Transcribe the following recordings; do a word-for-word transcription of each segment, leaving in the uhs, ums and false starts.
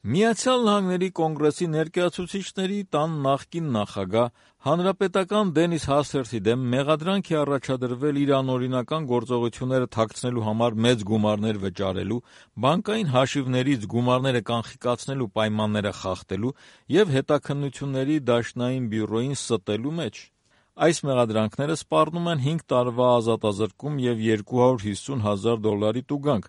Միացյալ Նահանգների կոնգրեսի ներկայացուցիչների տան նախկին նախագահ, հանրապետական Դենիս Հասթերթի դեմ մեղադրանք է առաջադրվել իր անօրինական գործողությունները թաքցնելու համար մեծ գումարներ վճարելու, բանկային հաշիվներից գումարները կանխիկացնելու պայմանները խախտելու և հետաքննությունների դաշնային բյուրոյին ստելու մեջ։ Այս մեղադրանքները սպառնում են հինգ տարվա ազատազրկում և երկու հարյուր հիսուն հազար դոլարի տուգանք։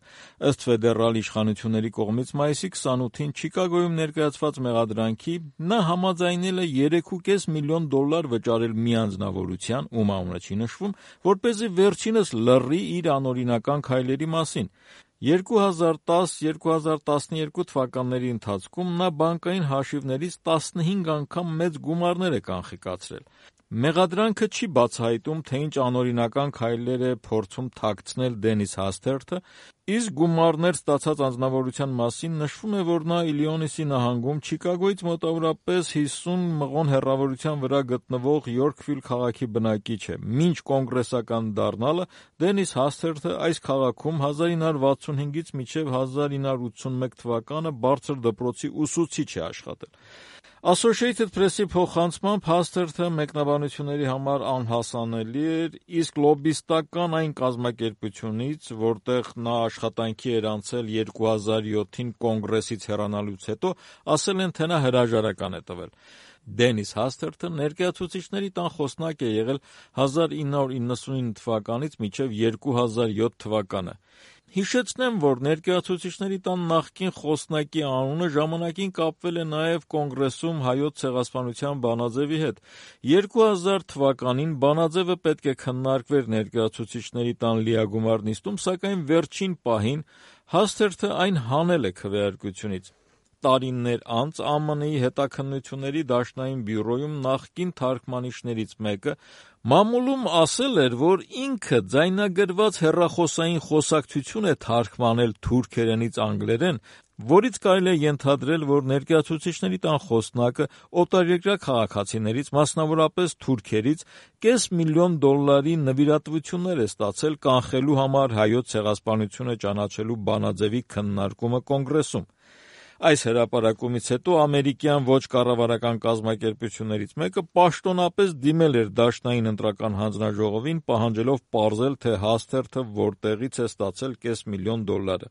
Ըստ ֆեդերալ իշխանությունների կողմից մայիսի քսանութին Չիկագոյում ներկայացված մեղադրանքի, նա համաձայնել է երեք ու կես միլիոն դոլար վճարել մի անձնավորության, ում անունը չի նշվում, որպեսզի վերջինս լռի իր անօրինական քայլերի մասին։ երկու հազար տաս - երկու հազար տասնյոթ թվականների ընթացքում նա բանկային հաշիվներից տասնհինգ անգամ մեծ գումարներ է կանխիկացրել։ Մեղադրանքը չի բացահայտում, թե ինչ անօրինական քայլեր է փորձում թաքցնել Դենիս Հասթերթը, իսկ գումարներ ստացած անձնավորության մասին նշվում է, որ նա Իլինոյսի նահանգում Չիկագոյից մոտավորապես հիսուն մղոն հեռավորության վրա գտնվող Յորքվիլ քաղաքի բնակիչ է։ Մինչ կոնգրեսական դառնալը Դենիս Հասթերթը այս քաղաքում հազար ինը հարյուր վաթսունհինգից մինչև հազար ինը հարյուր ութսունմեկ թվականը բարձր դպրոցի ուսուցիչ է աշխատել։ Associated Press-ի փոխանցմամբ Հասթերթը մեկնաբանությունների համար անհասանելի էր, իսկ լոբբիստական այն կազմակերպությունից, որտեղ նա աշխատանքի էր անցել երկու հազար յոթին կոնգրեսից հեռանալուց հետո, ասել են, թե նա հրաժարական է տվել։ Դենիս Հասթերթը ներկայացուցիչների տան խոսնակ է եղել հազար ինը հարյուր իննսունինը թվականից մինչև երկու հազար յոթ թվականը։ Հիշեցնեմ, որ ներկայացուցիչների տան նախկին խոսնակի անունը ժամանակին կապվել է նաև կոնգրեսում Հայոց ցեղասպանության բանաձևի հետ։ երկու հազար թվականին բանաձևը պետք է քննարկվեր ներկայացուցիչների տան լիագումար նիստում, սակայն վերջին պահին Հասթերթը այն հանել է քվեարկությունից։ Տարիներ անց ԱՄՆ-ի հետաքննությունների դաշնային բյուրոյում նախկին թարգմանիչներից մեկը մամուլում ասել էր, որ ինքը ձայնագրված հեռախոսային խոսակցություն է թարգմանել թուրքերենից անգլերեն, որից կարելի է ենթադրել, որ ներկայացուցիչների տան խոսնակը օտարերկրյա քաղաքացիներից, մասնավորապես թուրքերից, կես միլիոն դոլարի նվիրատվություններ է ստացել կանխելու համար Հայոց ցեղասպանությունը ճանաչելու բանաձևի քննարկումը կոնգրեսում։ Այս հրապարակումից հետո ամերիկյան ոչ կառավարական կազմակերպություններից մեկը պաշտոնապես դիմել էր Դաշնային ընտրական հանձնաժողովին, պահանջելով պարզել, թե Հասթերթը որտեղից է ստացել կես միլիոն դոլարը։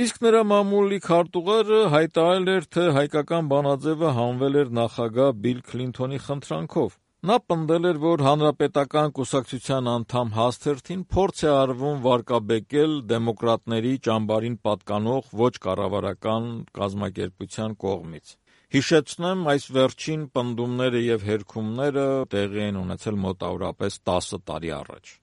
Իսկ նրա մամուլի քարտուղարը հայտարարել էր, թե հայկական բանաձևը հանվել էր նախագահ Բիլ Քլինթոնի խնդրանքով։ Նա պնդել էր, որ հանրապետական կուսակցության անդամ Հասթերթին փորձ է արվում վարկաբեկել դեմոկրատների ճամբարին պատկանող ոչ կառավարական կազմակերպության կողմից։ Հիշեցնեմ, այս վերջին պնդումները և հերքումները տեղի են ունեցել մոտավորապես տասը տարի առաջ։